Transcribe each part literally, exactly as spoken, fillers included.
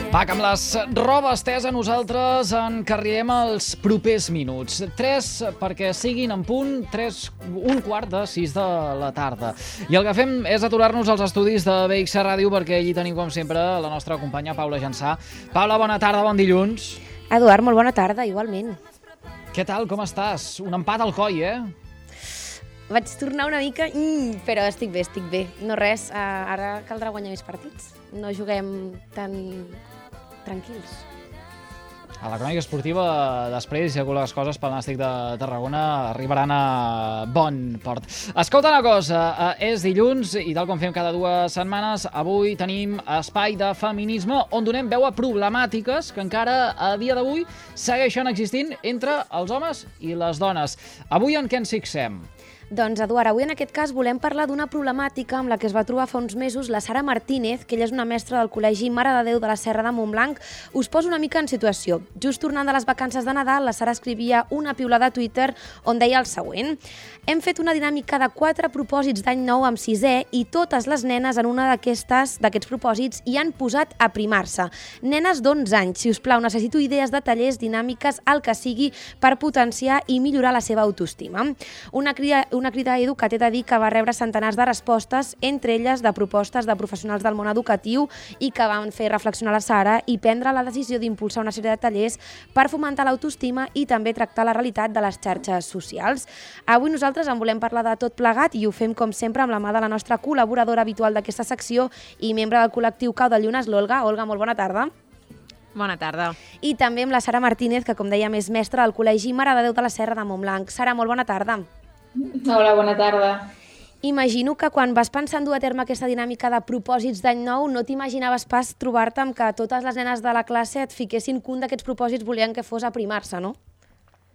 Va, que amb les roba estesa nosaltres encarriem els propers minuts. Tres perquè siguin en punt, tres, un quart de sis de la tarda. I el que fem és aturar-nos als estudis de B X Ràdio perquè allí tenim, com sempre, la nostra companya Paula Jansà. Paula, bona tarda, bon dilluns. Eduard, molt bona tarda, igualment. Què tal, com estàs? Un empat al coll, eh? Vaig tornar una mica, mm, però estic bé, estic bé. No res, uh, ara caldrà guanyar més partits. No juguem tan tranquils. A la crònica esportiva, després, si les coses pel Nàstic de Tarragona arribaran a bon port. Escolta una cosa, eh, és dilluns i tal com fem cada dues setmanes, avui tenim espai de feminisme on donem veu a problemàtiques que encara a dia d'avui segueixen existint entre els homes i les dones. Avui en què ens fixem? Doncs, Eduard, avui en aquest cas volem parlar d'una problemàtica amb la que es va trobar fa uns mesos la Sara Martínez, que ella és una mestra del Col·legi Mare de Déu de la Serra de Montblanc. Us poso una mica en situació. Just tornant de les vacances de Nadal, la Sara escrivia una piulada a Twitter on deia el següent: hem fet una dinàmica de quatre propòsits d'any nou amb sisè i totes les nenes en una d'aquestes d'aquests propòsits hi han posat a primar-se. Nenes d'onze anys, si us plau, necessito idees de tallers, dinàmiques, el que sigui, per potenciar i millorar la seva autoestima. Una crida una crida a Edu que t'he de dir que va rebre centenars de respostes, entre elles de propostes de professionals del món educatiu i que van fer reflexionar la Sara i prendre la decisió d'impulsar una sèrie de tallers per fomentar l'autoestima i també tractar la realitat de les xarxes socials. Avui nosaltres en volem parlar de tot plegat i ho fem com sempre amb la mà de la nostra col·laboradora habitual d'aquesta secció i membre del col·lectiu Cau de Llunes, l'Olga. Olga, molt bona tarda. Bona tarda. I també amb la Sara Martínez, que com dèiem és mestra del Col·legi Mare de Déu de la Serra de Montblanc. Sara, molt bona tarda. Hola, bona tarda. Imagino que quan vas pensar en dur a terme aquesta dinàmica de propòsits d'any nou no t'imaginaves pas trobar-te amb que totes les nenes de la classe et fiquessin que un d'aquests propòsits volien que fos aprimar-se, no?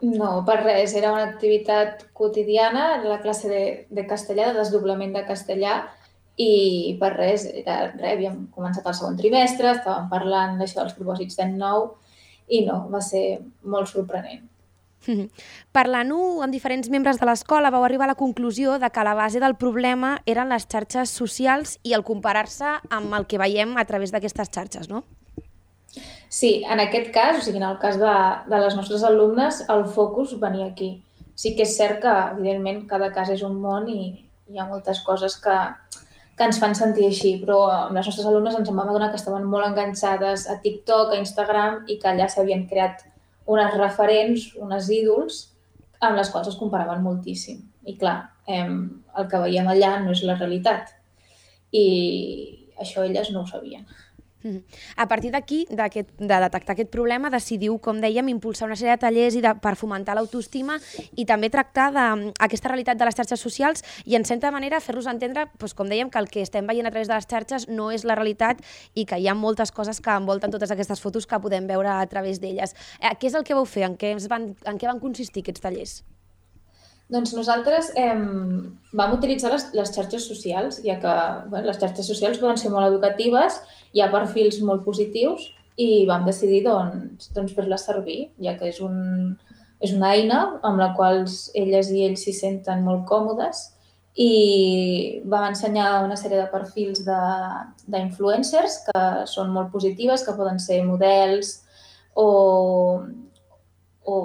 No, per res. Era una activitat quotidiana, la classe de, de castellà, de desdoblament de castellà, i per res, era, res, havíem començat el segon trimestre, estàvem parlant d'això dels propòsits d'any nou i no, va ser molt sorprenent. Parlant-ho amb diferents membres de l'escola, vau arribar a la conclusió de que la base del problema eren les xarxes socials i el comparar-se amb el que veiem a través d'aquestes xarxes, no? Sí, en aquest cas, o sigui, en el cas de, de les nostres alumnes, el focus venia aquí. Sí que és cert que, evidentment, cada cas és un món i hi ha moltes coses que, que ens fan sentir així, però amb les nostres alumnes ens en vam adonar que estaven molt enganxades a TikTok, a Instagram, i que allà s'havien creat unes referents, unes ídols, amb les quals es comparaven moltíssim. I clar, eh, el que veiem allà no és la realitat. I això elles no ho sabien. A partir d'aquí, de detectar aquest problema, decidiu, com dèiem, impulsar una sèrie de tallers i de, per fomentar l'autoestima i també tractar d'aquesta realitat de les xarxes socials i, en certa manera, fer-los entendre, doncs, com dèiem, que el que estem veient a través de les xarxes no és la realitat i que hi ha moltes coses que envolten totes aquestes fotos que podem veure a través d'elles. Eh, què és el que vau fer? En què van, en què van consistir aquests tallers? Doncs nosaltres eh, vam utilitzar les, les xarxes socials, ja que bueno, les xarxes socials poden ser molt educatives, hi ha perfils molt positius i vam decidir doncs, doncs fer-les servir, ja que és, un, és una eina amb la qual elles i ells s'hi senten molt còmodes i vam ensenyar una sèrie de perfils d'influencers que són molt positives, que poden ser models o, o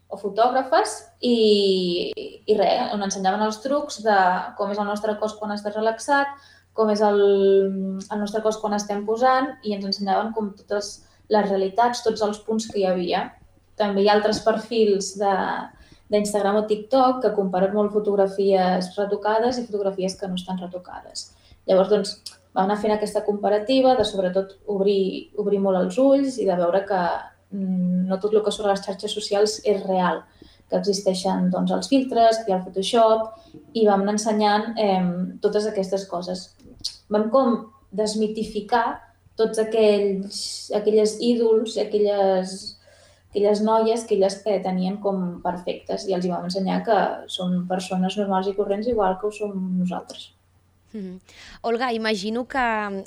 o fotògrafes i, i res, on ensenyaven els trucs de com és el nostre cos quan estàs relaxat, com és el, el nostre cos quan estem posant i ens ensenyaven com totes les realitats, tots els punts que hi havia. També hi ha altres perfils d'Instagram o TikTok que comparen molt fotografies retocades i fotografies que no estan retocades. Llavors, doncs, vam anar fent aquesta comparativa de, sobretot, obrir, obrir molt els ulls i de veure que no tot el que surt a les xarxes socials és real, que existeixen doncs, els filtres, que hi ha el Photoshop i vam anar ensenyant eh, totes aquestes coses. Vam com desmitificar tots aquells, aquelles ídols, aquelles, aquelles noies que elles que tenien com perfectes i els hi vam ensenyar que són persones normals i corrents igual que ho som nosaltres. Mm-hmm. Olga, imagino que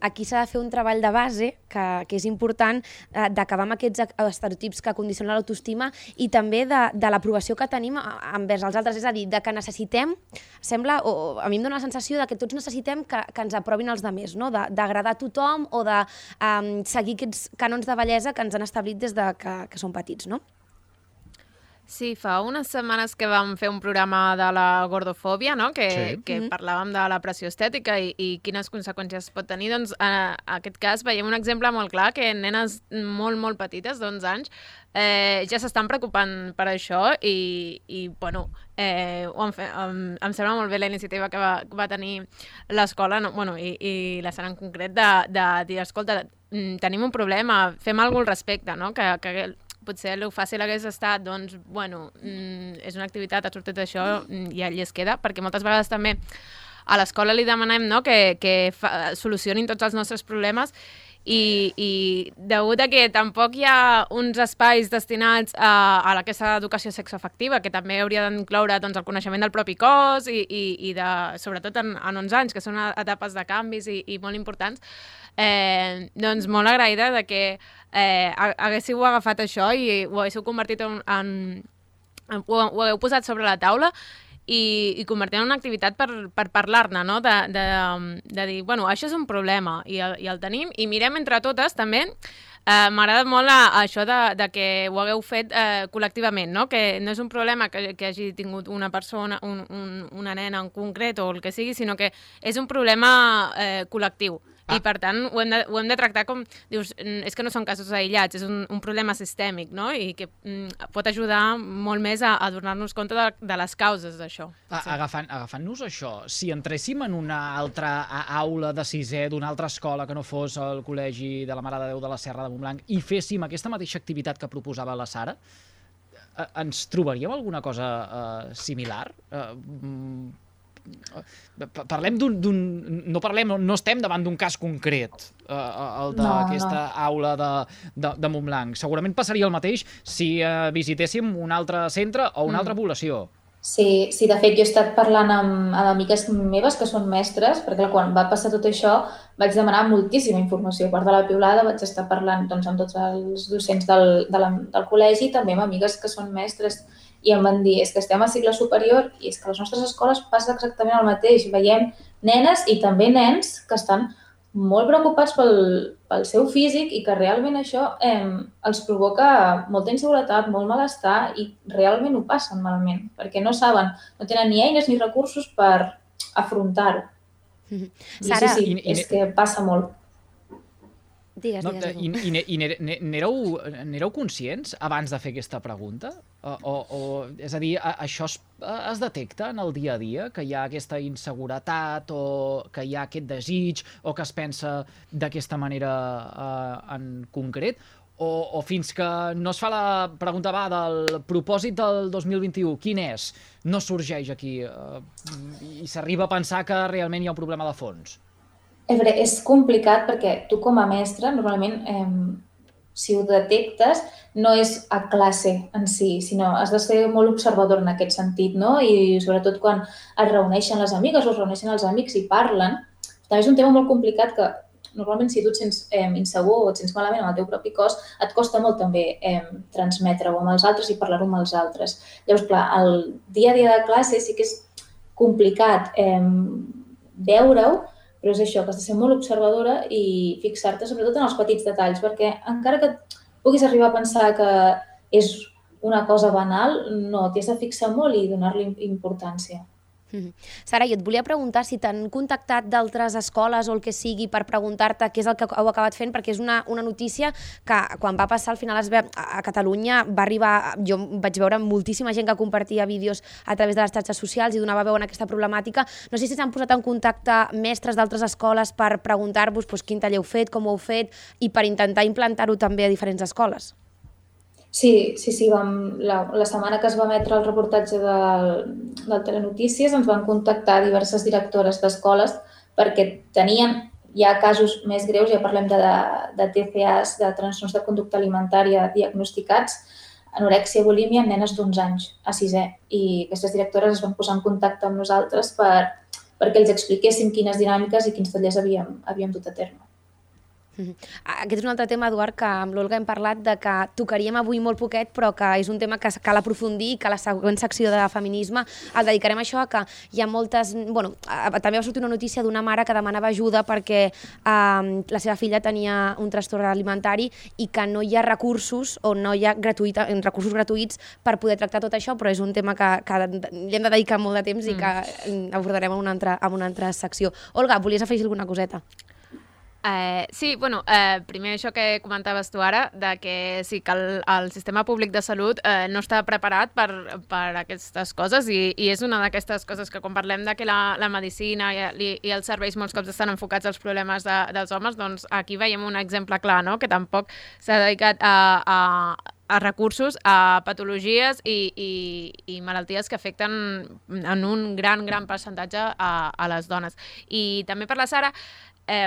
aquí s'ha de fer un treball de base, que, que és important, eh, d'acabar amb aquests estereotips que condicionen l'autoestima i també de, de l'aprovació que tenim envers els altres. És a dir, de que necessitem, sembla, o a mi em dóna la sensació de que tots necessitem que, que ens aprovin els altres, no? D'agradar a tothom o de um, seguir aquests cànons de bellesa que ens han establit des de que, que som petits, no? Sí, fa unes setmanes que vam fer un programa de la gordofòbia, no? que, sí. que mm-hmm. parlàvem de la pressió estètica i, i quines conseqüències pot tenir. Doncs, en aquest cas veiem un exemple molt clar, que nenes molt, molt petites, d'onze anys, eh, ja s'estan preocupant per això i, i bueno, eh, ho han fet, em, em sembla molt bé la iniciativa que va, va tenir l'escola, no? bueno, i, i la Sara en concret, de, de dir, escolta, tenim un problema, fem alguna cosa al respecte, no? que, que potser el fàcil hagués estat, doncs, bueno, mm, és una activitat, ha sortit això i allí es queda, perquè moltes vegades també a l'escola li demanem, no?, que, que fa, solucionin tots els nostres problemes i, i degut a que tampoc hi ha uns espais destinats a, a aquesta educació sexoafectiva, que també hauria d'incloure, doncs, el coneixement del propi cos i, i, i de, sobretot en, en onze anys, que són etapes de canvis i, i molt importants, eh, doncs molt agraïda de que eh, haguéssiu agafat això i ho haguéssiu convertit en... en, en ho, ho hagueu posat sobre la taula i, i convertir en una activitat per, per parlar-ne, no? De, de, de dir, bueno, això és un problema i el, i el tenim i mirem entre totes també. Eh, M'agrada molt a, a això de, de que ho hagueu fet eh, col·lectivament, no? Que no és un problema que, que hagi tingut una persona, un, un, una nena en concret o el que sigui, sinó que és un problema eh, col·lectiu. Ah. I, per tant, ho hem, de, ho hem de tractar com... Dius, és que no són casos aïllats, és un, un problema sistèmic, no? I que mm, pot ajudar molt més a, a donar-nos compte de, de les causes d'això. Ah, sí. Agafant, agafant-nos això, si entréssim en una altra aula de sisè d'una altra escola que no fos el Col·legi de la Mare de Déu de la Serra de Montblanc i féssim aquesta mateixa activitat que proposava la Sara, ens trobaríem alguna cosa eh, similar? Eh, Parlem d'un... No parlem, no estem davant d'un cas concret, eh, el d'aquesta no, no. aula de, de, de Montblanc. Segurament passaria el mateix si eh, visitéssim un altre centre o una mm. altra població. Sí, sí, de fet, jo he estat parlant amb, amb amigues meves que són mestres, perquè quan va passar tot això vaig demanar moltíssima informació. A part de la piulada vaig estar parlant doncs, amb tots els docents del, de la, del col·legi i també amb amigues que són mestres. I em van dir, és que estem a cicle superior i és que a les nostres escoles passa exactament el mateix. Veiem nenes i també nens que estan molt preocupats pel, pel seu físic i que realment això eh, els provoca molta inseguretat, molt malestar i realment ho passen malament, perquè no saben, no tenen ni eines ni recursos per afrontar-ho. Mm-hmm. Sara, sí, sí, és que passa molt. Digues, no, digues. I, i, i n'éreu, n'éreu conscients abans de fer aquesta pregunta? O, o, o, és a dir, això es, es detecta en el dia a dia, que hi ha aquesta inseguretat o que hi ha aquest desig o que es pensa d'aquesta manera eh, en concret? O, o fins que no es fa la pregunta va del propòsit del dos mil vint-i-u, quin és? No sorgeix aquí eh, i s'arriba a pensar que realment hi ha un problema de fons? És complicat perquè tu com a mestre, normalment, eh, si ho detectes, no és a classe en si, sinó has de ser molt observador en aquest sentit, no? I sobretot quan es reuneixen les amigues o es reuneixen els amics i parlen, també és un tema molt complicat que normalment si tu et sents eh, insegur o et sents malament amb el teu propi cos, et costa molt també eh, transmetre-ho amb els altres i parlar-ho amb els altres. Llavors, clar, el dia a dia de classe sí que és complicat eh, veure-ho, però és això, que has de ser molt observadora i fixar-te sobretot en els petits detalls, perquè encara que puguis arribar a pensar que és una cosa banal, no, t'hi has de fixar molt i donar-li importància. Mm-hmm. Sara, jo et volia preguntar si t'han contactat d'altres escoles o el que sigui per preguntar-te què és el que heu acabat fent, perquè és una, una notícia que quan va passar al final es ve, a Catalunya va arribar, jo vaig veure moltíssima gent que compartia vídeos a través de les xarxes socials i donava veu en aquesta problemàtica. No sé si s'han posat en contacte mestres d'altres escoles per preguntar-vos doncs, quin taller heu fet, com ho heu fet i per intentar implantar-ho també a diferents escoles. Sí, sí, sí. Vam, la, la setmana que es va emetre el reportatge del, del Telenotícies ens van contactar diverses directores d'escoles perquè tenien ja casos més greus, ja parlem de, de T C As, de trastorns de conducta alimentària diagnosticats, anorèxia i bulímia en nenes d'onze anys a sisè. I aquestes directores es van posar en contacte amb nosaltres per, perquè els expliquéssim quines dinàmiques i quins tallers havíem, havíem dut a terme. Aquest és un altre tema, Eduard, que amb l'Olga hem parlat de que tocaríem avui molt poquet, però que és un tema que cal aprofundir i que a la següent secció de feminisme el dedicarem a això, que hi ha moltes... Bueno, també va sortir una notícia d'una mare que demanava ajuda perquè eh, la seva filla tenia un trastorn alimentari i que no hi ha recursos o no hi ha gratuïta, recursos gratuïts per poder tractar tot això, però és un tema que, que hi hem de dedicar molt de temps i que abordarem en una altra, en una altra secció. Olga, volies afegir alguna coseta? Eh, sí, bueno, eh, primer això que comentaves tu ara, de que sí que el, el sistema públic de salut eh, no està preparat per, per aquestes coses i, i és una d'aquestes coses que quan parlem de que la, la medicina i, i els serveis molts cops estan enfocats als problemes de, dels homes, doncs aquí veiem un exemple clar, no? Que tampoc s'ha dedicat a, a, a recursos, a patologies i, i, i malalties que afecten en un gran, gran percentatge a, a les dones. I també per la Sara, Eh,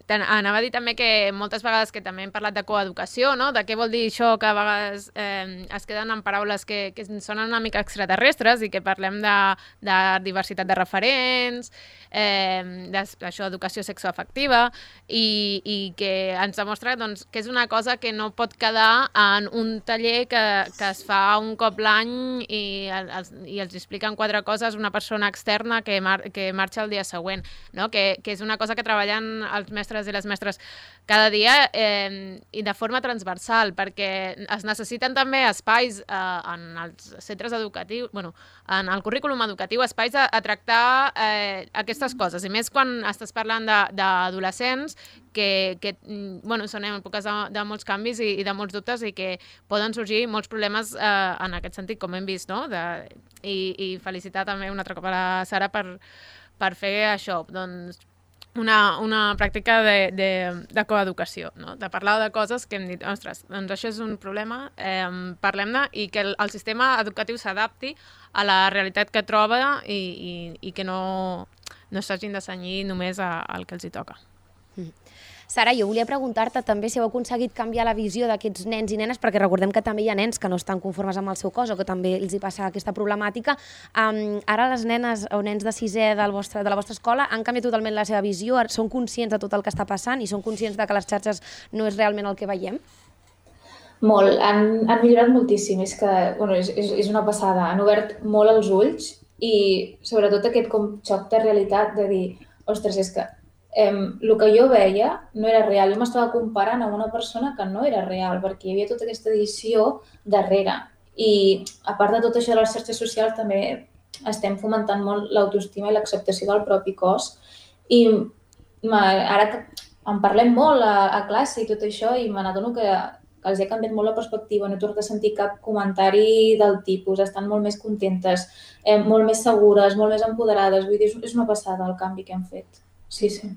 anava a dir també que moltes vegades que també hem parlat de coeducació, no? De què vol dir això que a vegades eh, es queden en paraules que, que sonen una mica extraterrestres i que parlem de, de diversitat de referents, eh, d'això, educació sexoafectiva i, i que ens demostra doncs, que és una cosa que no pot quedar en un taller que, que es fa un cop l'any i, els, i els expliquen quatre coses una persona externa que, mar, que marxa el dia següent, no? que, que és una cosa que treballa els mestres i les mestres cada dia eh, i de forma transversal, perquè es necessiten també espais eh, en els centres educatius, bueno, en el currículum educatiu, espais a, a tractar eh, aquestes coses, i més quan estàs parlant d'adolescents que, que bueno, són èpoques de, de molts canvis i, i de molts dubtes i que poden sorgir molts problemes eh, en aquest sentit, com hem vist, no? De, i, i felicitar també un altre cop a la Sara per, per fer això, doncs Una, una pràctica de, de, de coeducació, no? De parlar de coses que hem dit, ostres, doncs això és un problema, eh, parlem-ne i que el, el sistema educatiu s'adapti a la realitat que troba i, i, i que no, no s'hagin de cenyir només a, al que els hi toca. Mm. Sara, jo volia preguntar-te també si heu aconseguit canviar la visió d'aquests nens i nenes, perquè recordem que també hi ha nens que no estan conformes amb el seu cos o que també els hi passa aquesta problemàtica. Um, ara les nenes o nens de sisè del vostre, de la vostra escola han canviat totalment la seva visió, són conscients de tot el que està passant i són conscients de que les xarxes no és realment el que veiem? Molt, han, han millorat moltíssim, és que bueno, és, és, és una passada, han obert molt els ulls i sobretot aquest com xoc de realitat de dir, ostres, és que Um, el que jo veia no era real. Jo m'estava comparant amb una persona que no era real, perquè hi havia tota aquesta edició darrere. I a part de tot això de les xarxes socials també estem fomentant molt l'autoestima i l'acceptació del propi cos. I ara que en parlem molt a, a classe i tot això i me n'adono que, que els ha canviat molt la perspectiva, no he tornat a sentir cap comentari del tipus, estan molt més contentes, eh, molt més segures, molt més empoderades. Vull dir, és una passada el canvi que hem fet. Sí, sí.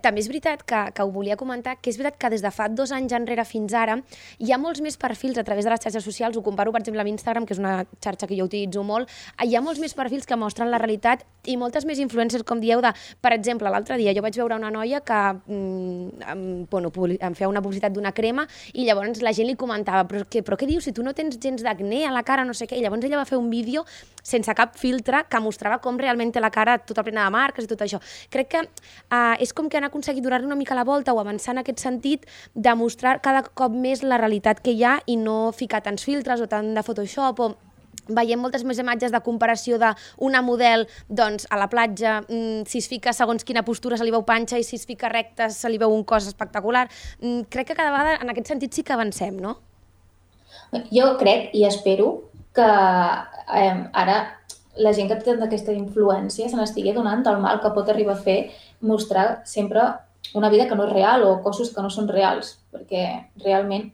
També és veritat que, que ho volia comentar, que és veritat que des de fa dos anys enrere fins ara hi ha molts més perfils a través de les xarxes socials, ho comparo per exemple amb Instagram, que és una xarxa que jo utilitzo molt, hi ha molts més perfils que mostren la realitat i moltes més influències, com dieu, de, per exemple, l'altre dia jo vaig veure una noia que mm, em, bueno, em feia una publicitat d'una crema i llavors la gent li comentava, però què, però què dius, si tu no tens gens d'acné a la cara, no sé què, i llavors ella va fer un vídeo sense cap filtre que mostrava com realment té la cara tota plena de marques i tot això. Crec que eh, és com que han aconseguit donar-li una mica la volta o avançar en aquest sentit de mostrar cada cop més la realitat que hi ha i no ficar tants filtres o tant de Photoshop o veiem moltes més imatges de comparació d'una model doncs, a la platja, si es fica segons quina postura se li veu panxa i si es fica recta se li veu un cos espectacular. Crec que cada vegada en aquest sentit sí que avancem, no? Jo crec i espero que eh, ara la gent que té aquesta influència se n'estigui donant del mal que pot arribar a fer mostrar sempre una vida que no és real o cossos que no són reals, perquè realment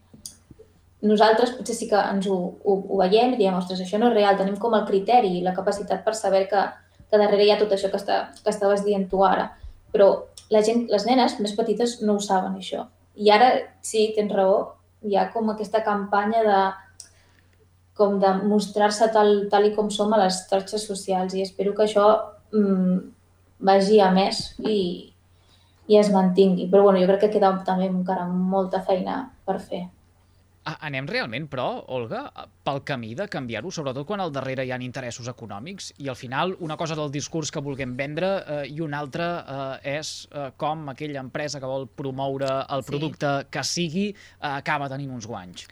nosaltres potser sí que ens ho, ho, ho veiem i diem, ostres, això no és real, tenim com el criteri i la capacitat per saber que, que darrere hi ha tot això que, està, que estaves dient tu ara, però la gent, les nenes més petites no ho saben, això. I ara sí, tens raó, hi ha com aquesta campanya de com de mostrar-se tal, tal i com som a les xarxes socials i espero que això mmm, vagi a més i, i es mantingui. Però bueno, jo crec que queda també encara molta feina per fer. Anem realment, però, Olga, pel camí de canviar-ho, sobretot quan al darrere hi ha interessos econòmics i al final una cosa és el discurs que vulguem vendre eh, i una altra eh, és eh, com aquella empresa que vol promoure el producte sí. que sigui eh, acaba tenint uns guanys.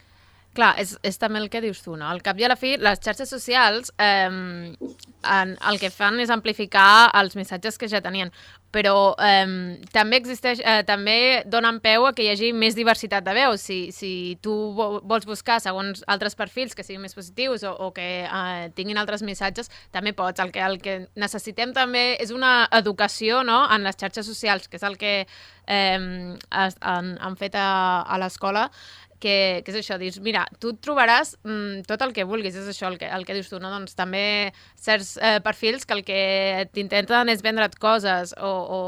Clar, és, és també el que dius tu, no? Al cap i a la fi, les xarxes socials eh, en, el que fan és amplificar els missatges que ja tenien, però eh, també existeix, eh, també donen peu a que hi hagi més diversitat de veus. Si, si tu vols buscar segons altres perfils que siguin més positius o, o que eh, tinguin altres missatges, també pots. El que, el que necessitem també és una educació, no?, en les xarxes socials, que és el que eh, han, han fet a, a l'escola, que, que és això, dius, mira, tu et trobaràs mm, tot el que vulguis, és això el que, el que dius tu, no? Doncs també certs eh, perfils que el que t'intenten és vendre't coses o, o,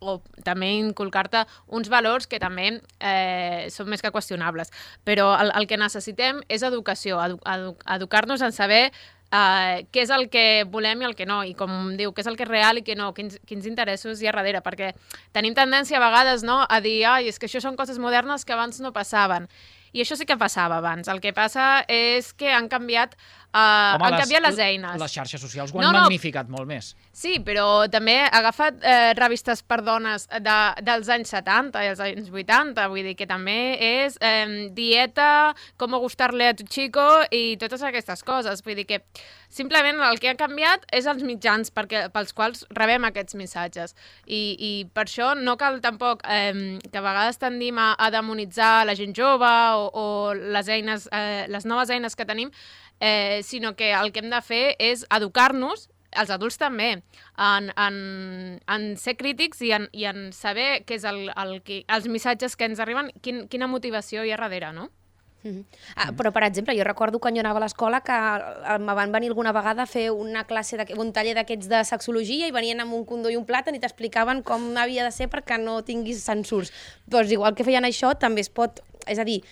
o també inculcar-te uns valors que també eh, són més que qüestionables. Però el, el que necessitem és educació, edu, edu, educar-nos en saber Uh, què és el que volem i el que no, i com diu, què és el que és real i què no, quins, quins interessos hi ha darrere, perquè tenim tendència a vegades, no?, a dir, ai, és que això són coses modernes que abans no passaven. I això sí que passava abans. El que passa és que han canviat, uh, Home, han les, canviat les eines. Les xarxes socials ho han no, no. magnificat molt més. Sí, però també ha agafat eh, revistes per dones de, dels anys setanta i els anys vuitanta, vull dir que també és eh, dieta, com gustar-le a tu chico i totes aquestes coses. Vull dir que simplement el que ha canviat és els mitjans perquè, pels quals rebem aquests missatges. I, i per això no cal tampoc eh, que a vegades tendim a, a demonitzar la gent jove o, o les eines, eh, les noves eines que tenim, eh, sinó que el que hem de fer és educar-nos, els adults també, en, en, en ser crítics i en, i en saber què és el, el, els missatges que ens arriben, quin, quina motivació hi ha darrere, no? Mm-hmm. Ah, però, per exemple, jo recordo quan jo anava a l'escola que me van venir alguna vegada a fer una classe, de, un taller d'aquests de sexologia i venien amb un condó i un plàtan i t'explicaven com havia de ser perquè no tinguis censurs. Doncs igual que feien això, també es pot... És a dir,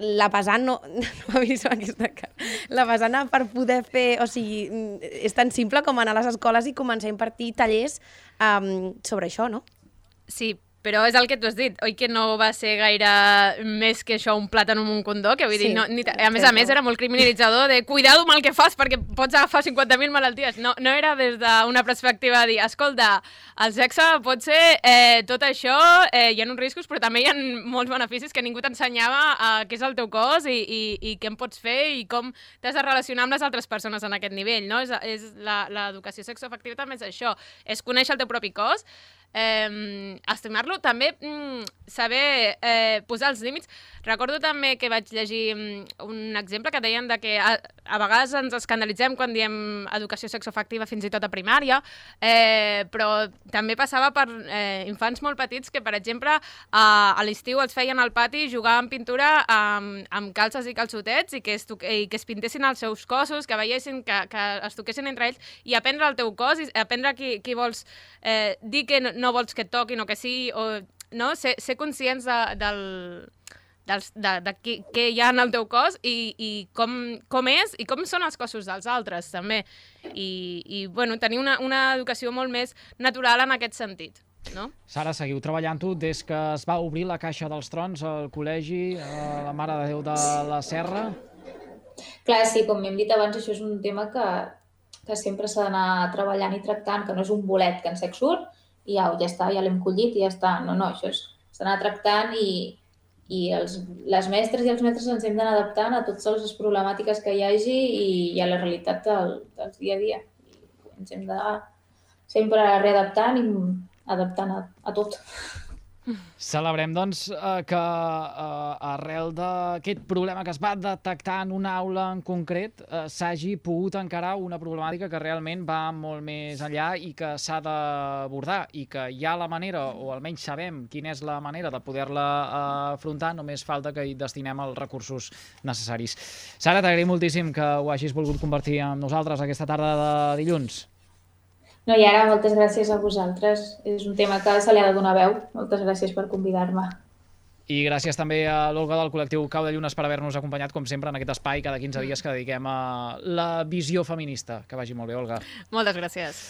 la pesant no... No m'ha vist aquesta cara. La pesant per poder fer... O sigui, és tan simple com anar a les escoles i començar a impartir tallers um, sobre això, no? Sí, però és el que tu has dit, oi que no va ser gaire més que això, un plàtan amb un condó, que vull sí, dir, no, ni, a més a més era molt criminalitzador de cuidado amb el que fas perquè pots agafar cinquanta mil malalties. No, no era des d'una perspectiva de dir, escolta, el sexe pot ser eh, tot això, eh, hi ha uns riscos, però també hi ha molts beneficis que ningú t'ensenyava a què és el teu cos i, i, i què en pots fer i com t'has de relacionar amb les altres persones en aquest nivell, no? És, és l'educació sexoafectiva també és això, és conèixer el teu propi cos, Eh, estimar-lo, també mm, saber eh, posar els límits. Recordo també que vaig llegir mm, un exemple que deien de que a, a vegades ens escandalitzem quan diem educació sexoafectiva fins i tot a primària, eh, però també passava per eh, infants molt petits que, per exemple, a, a l'estiu els feien al pati jugar amb pintura amb, amb calces i calçotets i que, es i que es pintessin els seus cossos, que veiessin, que, que es toquessin entre ells i aprendre el teu cos i aprendre qui, qui vols eh, dir que no, no vols que et toquin o que sí, o no? Ser, ser conscients de, del, dels, de, de què, què hi ha en el teu cos i, i com, com és i com són els cossos dels altres, també. I, i bueno, tenir una, una educació molt més natural en aquest sentit. No? Sara, seguiu treballant-ho des que es va obrir la Caixa dels Trons al col·legi, a la Mare de Déu de la Serra? Clar, sí, com hem dit abans, això és un tema que, que sempre s'ha d'anar treballant i tractant, que no és un bolet que en sec surt, i ja, ja està, ja l'hem collit i ja està. No, no, això s'ha d'anar tractant i, i els, les mestres i els mestres ens hem d'anar adaptant a totes les problemàtiques que hi hagi i a la realitat del, del dia a dia. I ens hem de sempre readaptant i adaptant a, a tot. Celebrem, doncs, que arrel d'aquest problema que es va detectar en una aula en concret s'hagi pogut encarar una problemàtica que realment va molt més enllà i que s'ha d'abordar i que hi ha la manera, o almenys sabem quina és la manera de poder-la afrontar, només falta que hi destinem els recursos necessaris. Sara, t'agraïm moltíssim que ho hagis volgut compartir amb nosaltres aquesta tarda de dilluns. No, i ara moltes gràcies a vosaltres. És un tema que se li ha de donar veu. Moltes gràcies per convidar-me. I gràcies també a l'Olga del col·lectiu Cau de Llunes per haver-nos acompanyat, com sempre, en aquest espai cada quinze dies que dediquem a la visió feminista. Que vagi molt bé, Olga. Moltes gràcies.